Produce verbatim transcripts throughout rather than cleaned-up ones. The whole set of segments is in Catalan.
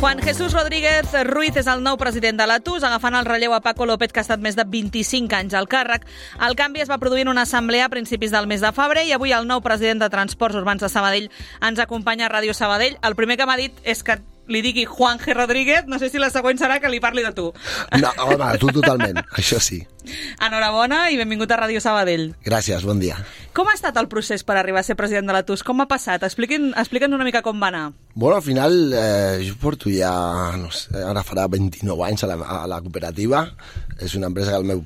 Juan Jesús Rodríguez Ruiz és el nou president de l'Atus, agafant el relleu a Paco López, que ha estat més de vint-i-cinc anys al càrrec. El canvi es va produir en una assemblea a principis del mes de febrer i avui el nou president de Transports Urbans de Sabadell ens acompanya a Ràdio Sabadell. El primer que m'ha dit és que li digui Juan G. Rodríguez, no sé si la següent serà que li parli de tu. No, home, tu totalment, això sí. Enhorabona i benvingut a Ràdio Sabadell. Gràcies, bon dia. Com ha estat el procés per arribar a ser president de l'Atus? Com ha passat? Expliqui'ns expliquen una mica com va anar. Bueno, al final, eh, jo porto ja, no sé, ara farà vint-i-nou anys a la, a la cooperativa. És una empresa que el meu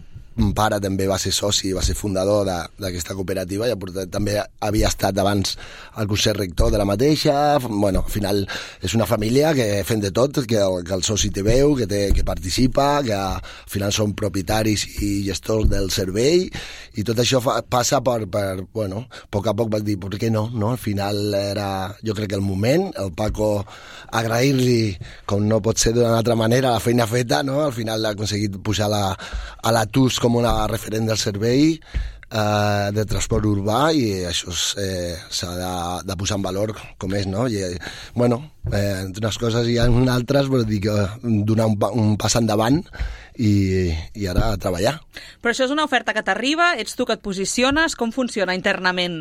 pare també va ser soci, va ser fundador d'aquesta cooperativa, i també havia estat abans al Consell Rector de la mateixa. Bueno, al final és una família que fem de tot, que el, que el soci té veu, que, té, que participa, que al final són propietaris i gestors del servei, i tot això fa, passa per, per, bueno, a poc a poc vaig dir, per què no, no? Al final era, jo crec que el moment, el Paco, agrair-li, com no pot ser d'una altra manera, la feina feta, no? Al final ha aconseguit pujar la, a l'Atus com una referent del servei eh, de transport urbà, i això eh, s'ha de, de posar en valor com és, no? I, bueno, eh, entre unes coses i en altres, vol dir que donar un, un pas endavant i, i ara a treballar. Però això és una oferta que t'arriba, ets tu que et posiciones, com funciona internament?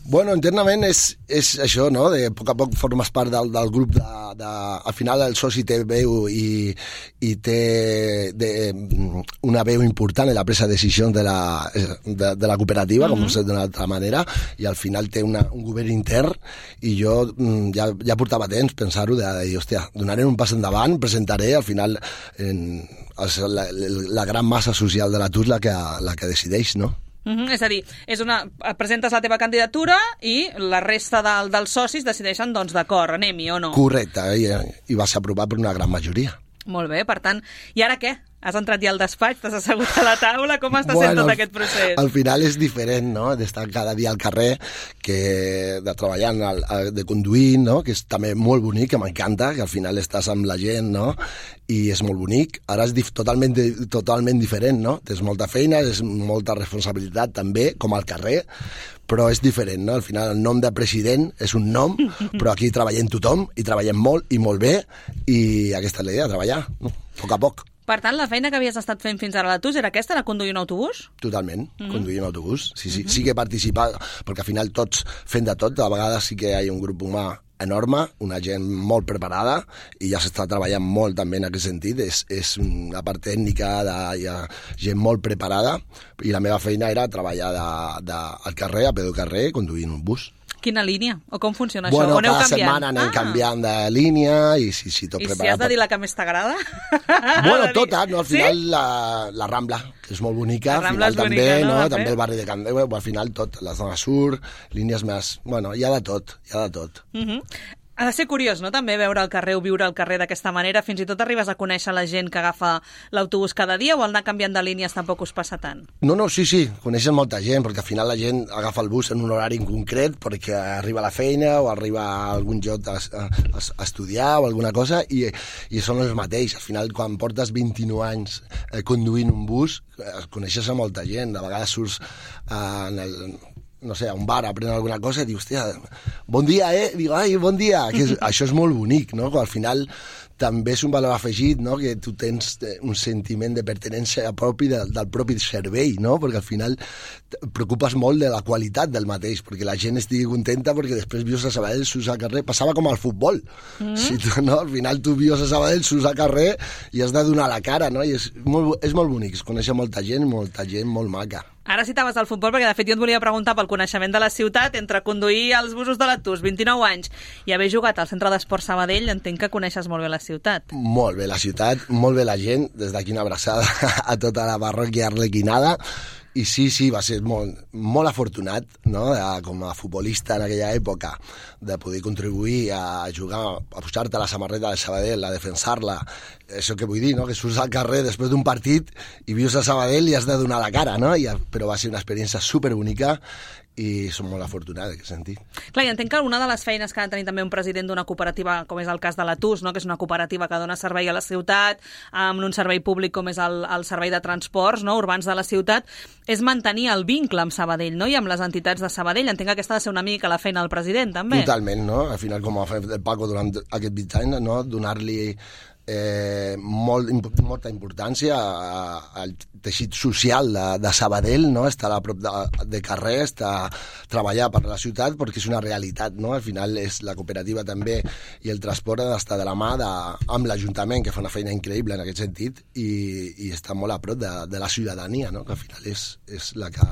Bueno, internament és, és això, no? De a poc a poc formes part del, del grup de, de... Al final el soci té veu i, i té de, una veu important en la presa de decisions de la, de, de la cooperativa, mm-hmm. com no sé d'una altra manera, i al final té una, un govern intern, i jo ja, ja portava temps pensar-ho, de, de dir, hòstia, donaré un pas endavant, presentaré, al final en, la, la gran massa social de l'Atus la que, la que decideix, no? Mm-hmm. És a dir, és una, presentes la teva candidatura i la resta del, dels socis decideixen, doncs, d'acord, anem-hi o no? Correcte, i, i va ser aprovat per una gran majoria. Molt bé, per tant, i ara què? Has entrat ja al despatx, t'has assegut a la taula, com està bueno, sent tot aquest procés? Al final és diferent, no?, d'estar cada dia al carrer, que de treballant, de conduir, no?, que és també molt bonic, que m'encanta, que al final estàs amb la gent, no?, i és molt bonic. Ara és dif- totalment, totalment diferent, no?, tens molta feina, és molta responsabilitat també, com al carrer, però és diferent, no? Al final el nom de president és un nom, però aquí treballem tothom, i treballem molt i molt bé, i aquesta és la idea, treballar, no?, a poc a poc. Per tant, la feina que havies estat fent fins ara a l'Atus era aquesta, de conduir un autobús? Totalment, mm-hmm. conduir un autobús. Sí, sí, mm-hmm. sí que participar, perquè al final tots fent de tot, a vegades sí que hi ha un grup humà enorme, una gent molt preparada, i ja s'està treballant molt també en aquest sentit. És, és una part tècnica, de, hi ha gent molt preparada, i la meva feina era treballar de, de, al carrer, a peu de carrer, conduint un bus. Quina línia? O com funciona bueno, això? On heu cada canviant? setmana anem ah. canviant de línia, i sí, sí, tot I preparat. si has de dir la que més t'agrada? Bueno, tota, no? Al final sí? la, la Rambla, que és molt bonica, la al final és també, bonica, no? no? També el barri de Can Déu, al final tot, la zona sur, línies més... Bueno, hi ha de tot, hi ha de tot. Mhm. Ha de ser curiós, no?, també veure el carrer o viure al carrer d'aquesta manera. Fins i tot arribes a conèixer la gent que agafa l'autobús cada dia, o al anar canviant de línies tampoc us passa tant? No, no, sí, sí, coneixen molta gent, perquè al final la gent agafa el bus en un horari en concret perquè arriba a la feina o arriba a algun lloc a, a, a estudiar o alguna cosa, i, i són els mateixos. Al final, quan portes vint-i-nou anys eh, conduint un bus, eh, coneixes a molta gent. De vegades surts eh, en el... no sé, a un bar a prendre alguna cosa i dius, hòstia, bon dia, eh? Digo, ai, bon dia. Que és, això és molt bonic, no? Al final també és un valor afegit, no?, que tu tens un sentiment de pertinença propi de, del propi servei, no?, perquè al final et preocupes molt de la qualitat del mateix, perquè la gent estigui contenta, perquè després vius a Sabadell, surts al carrer, passava com al futbol. Mm. Si tu, no? Al final tu vius a Sabadell, surts al carrer i has de donar la cara, no?, i és molt, és molt bonic, es coneix molta gent, molta gent molt maca. Ara citaves el futbol, perquè de fet jo et volia preguntar pel coneixement de la ciutat, entre conduir els busos de l'Atus, vint-i-nou anys, i haver jugat al Centre d'Esport Sabadell, entenc que coneixes molt bé la ciutat. Molt bé la ciutat, molt bé la gent, des d'aquí una abraçada a tota la parròquia arlequinada. I sí, sí, va ser molt, molt afortunat, no?, de, com a futbolista en aquella època, de poder contribuir a jugar, a posar-te la samarreta de Sabadell, a defensar-la. Això que vull dir, no?, que surts al carrer després d'un partit i vius a Sabadell i has de donar la cara, no? I, però va ser una experiència superbonica i som molt afortunats en aquest sentit. Clar, i entenc que una de les feines que ha de tenir també un president d'una cooperativa, com és el cas de l'Atus, no? Que és una cooperativa que dona servei a la ciutat, amb un servei públic com és el, el servei de transports, no? Urbans de la ciutat, és mantenir el vincle amb Sabadell, no? I amb les entitats de Sabadell. Entenc que aquesta ha de ser una mica la feina del president, també. Totalment, no? Al final, com ha fet el Paco durant aquests vint anys, no? Donar-li Eh, molt, molta importància al teixit social de, de Sabadell, no? Estar a prop de, de carrer, estar, treballar per la ciutat, perquè és una realitat, no? Al final és la cooperativa també i el transport han d'estar de la mà de, amb l'Ajuntament, que fa una feina increïble en aquest sentit, i, i està molt a prop de, de la ciutadania, no? Que al final és, és la que,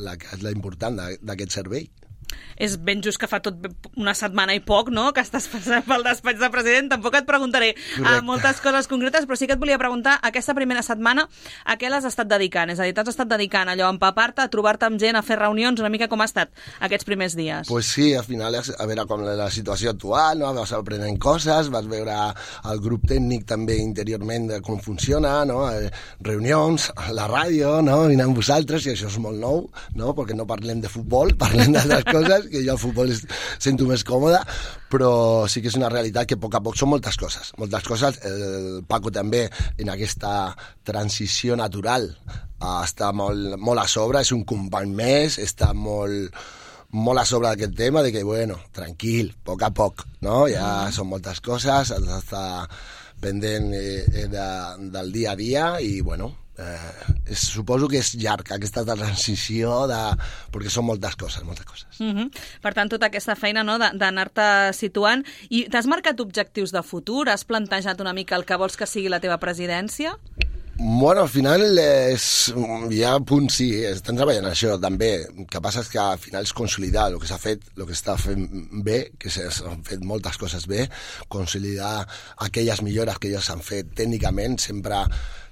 la que és la important d'aquest servei. És ben just que fa tot una setmana i poc, no?, que estàs passant pel despatx de president. Tampoc et preguntaré a moltes coses concretes, però sí que et volia preguntar, aquesta primera setmana, a què l'has estat dedicant? És a dir, t'has estat dedicant allò a empapar-te, a trobar-te amb gent, a fer reunions, una mica com ha estat aquests primers dies? Pues sí, al final, a veure com la situació actual, no? Vas aprenent coses, vas veure el grup tècnic també interiorment de com funciona, no? Reunions, la ràdio, no? Vine amb vosaltres, i això és molt nou, no? Perquè no parlem de futbol, parlem d'altres coses, que jo al futbol es, sento més còmode, però sí que és una realitat que a poc a poc són moltes coses. Moltes coses, el Paco també en aquesta transició natural està molt, molt a sobre, és un company més, està molt, molt a sobre d'aquest tema, de que, bueno, tranquil, a poc a poc, no? Ja són moltes coses, has d'estar pendent eh, de, del dia a dia i, bueno, Eh, és, suposo que és llarg aquesta transició de, perquè són moltes coses, moltes coses. Mm-hmm. Per tant, tota aquesta feina, no, d'anar-te situant. I t'has marcat objectius de futur? Has plantejat una mica el que vols que sigui la teva presidència? Bueno, al final és, hi ha punts, sí, estan treballant això també. El que passa és que al final és consolidar el que s'ha fet, el que està fent bé, que s'han fet moltes coses bé, consolidar aquelles millores que ja s'han fet tècnicament, sempre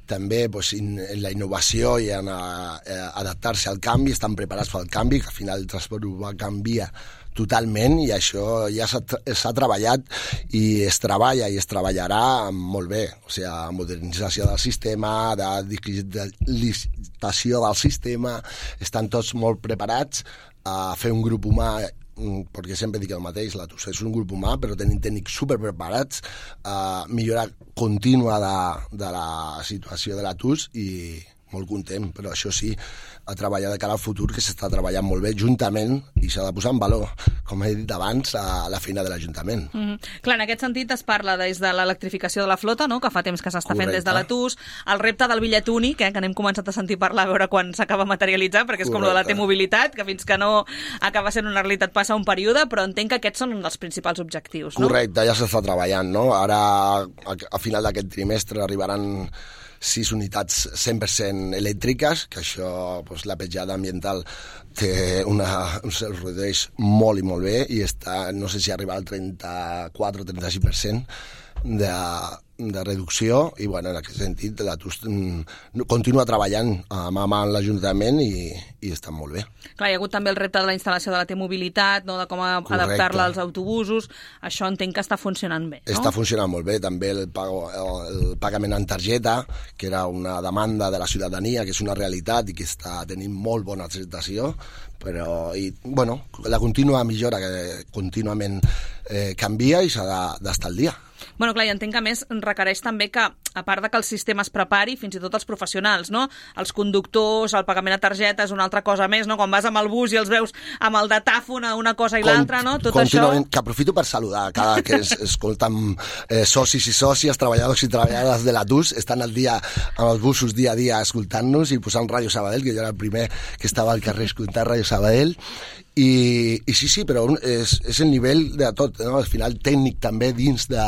també pues, in, en la innovació i en a, a adaptar-se al canvi, estan preparats pel canvi, que al final el transport urbà canvia totalment i això ja s'ha treballat i es treballa i es treballarà molt bé, o sigui, modernització del sistema, de digitalització del sistema, estan tots molt preparats a fer un grup humà, perquè sempre dic el mateix, l'Atus és un grup humà, però tenim tècnics superpreparats a millorar contínua de, de la situació de l'Atus i molt content, però això sí, a treballar de cara al futur, que s'està treballant molt bé juntament i s'ha de posar en valor, com he dit abans, a la feina de l'Ajuntament. Mm-hmm. Clar, en aquest sentit es parla des de l'electrificació de la flota, no?, que fa temps que s'està fent des de l'Atus, el repte del bitllet únic, eh, que n'hem començat a sentir parlar a veure quan s'acaba materialitzant, perquè és Correcte. Com lo de la T-mobilitat, que fins que no acaba sent una realitat passa un període, però entenc que aquests són els principals objectius, no? Correcte, ja s'està treballant, no? Ara, a final d'aquest trimestre, arribaran sis unitats cent per cent elèctriques, que això, doncs, la petjada ambiental té una, un se'ls redueix molt i molt bé i està, no sé si arriba al trenta-quatre o trenta-sis per cent de, de reducció i, bueno, en aquest sentit, l'Atus continua treballant mà a mà amb l'Ajuntament i, i està molt bé. Clar, hi ha hagut també el repte de la instal·lació de la T-mobilitat, no?, de com adaptar-la als autobusos. Això entenc que està funcionant bé, no? Està funcionant molt bé. També el, pago, el pagament en targeta, que era una demanda de la ciutadania, que és una realitat i que està tenint molt bona acceptació, però, i, bueno, la contínua millora que contínuament eh, canvia i s'ha d'estar al dia. Bueno, clar, i entenc que a més requereix també que, a part de que el sistema es prepari, fins i tot els professionals, no? Els conductors, el pagament a targeta és una altra cosa més, no? Quan vas amb el bus i els veus amb el datàfon a una cosa i l'altra, no? Tot això... Que aprofito per saludar cada que es, escolten eh, socis i sòcies, treballadors i treballadores de l'Atus, estan al dia amb els busos dia a dia escoltant-nos i posant Ràdio Sabadell, que jo era el primer que estava al carrer escoltant Ràdio Sabadell. I, i sí, sí, però és, és el nivell de tot, no? Al final tècnic també dins de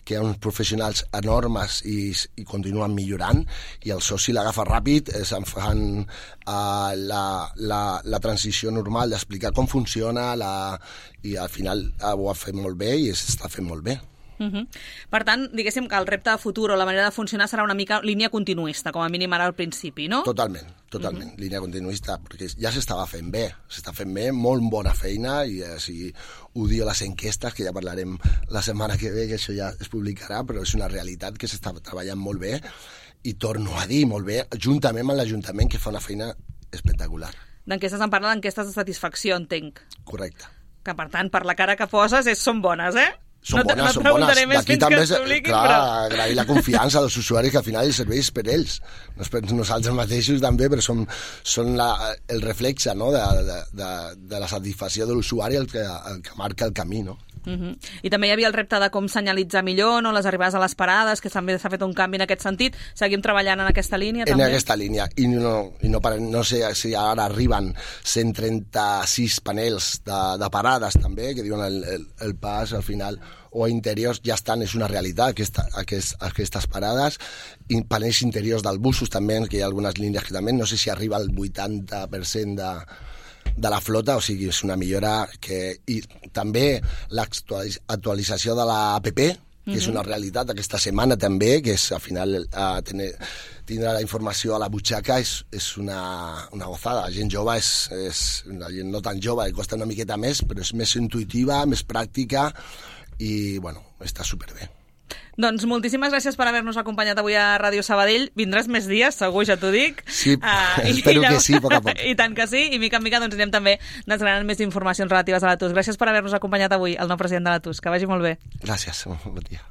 que hi ha uns professionals enormes i, i continuen millorant i el soci l'agafa ràpid, se'n fan uh, la, la, la transició normal d'explicar com funciona la, i al final uh, ho ha fet molt bé i s'està fent molt bé. Uh-huh. Per tant, diguéssim que el repte de futur o la manera de funcionar serà una mica línia continuista, com a mínim ara al principi, no? Totalment, totalment, uh-huh. Línia continuista, perquè ja s'estava fent bé, s'està fent bé, molt bona feina, i eh, si ho diu les enquestes, que ja parlarem la setmana que ve, que això ja es publicarà, però és una realitat que s'està treballant molt bé, i torno a dir molt bé, juntament amb l'Ajuntament, que fa una feina espectacular. D'enquestes en parla d'enquestes de satisfacció, entenc. Correcte. Que, per tant, per la cara que poses, és, són bones, eh? Són no bones, no són bones. D'aquí també, és, clar, però... agrair la confiança dels usuaris, que al final el servei és per ells. No és per nosaltres mateixos també, però són, són la, el reflexe, no?, de, de, de, de la satisfacció de l'usuari el que, el que marca el camí, no? Uh-huh. I també hi havia el repte de com senyalitzar millor, no?, les arribades a les parades, que també s'ha fet un canvi en aquest sentit. Seguim treballant en aquesta línia, també? En aquesta línia. I no, i no, no sé si ara arriben cent trenta-sis panels de, de parades, també, que diuen el, el, el pas, al final, o interiors, ja estan, és una realitat, aquesta, aquest, aquestes parades. I panells interiors dels busos, també, que hi ha algunes línies que també, no sé si arriba al vuitanta per cent de... de la flota, o sigui, és una millora que... I també l'actualització de l'app, que uh-huh. és una realitat aquesta setmana també, que és al final uh, tener, tindre la informació a la butxaca és, és una, una gozada. La gent jove és, és... La gent no tan jove, li costa una miqueta més, però és més intuïtiva, més pràctica i, bueno, està superbé. Doncs moltíssimes gràcies per haver-nos acompanyat avui a Ràdio Sabadell. Vindràs més dies, segur, ja t'ho dic. Sí, uh, espero que sí, a poc a poc. I tant que sí, i mica en mica doncs, anirem també desgranant més informacions relatives a l'A T U S. Gràcies per haver-nos acompanyat avui, el nou president de l'A T U S. Que vagi molt bé. Gràcies, bon dia.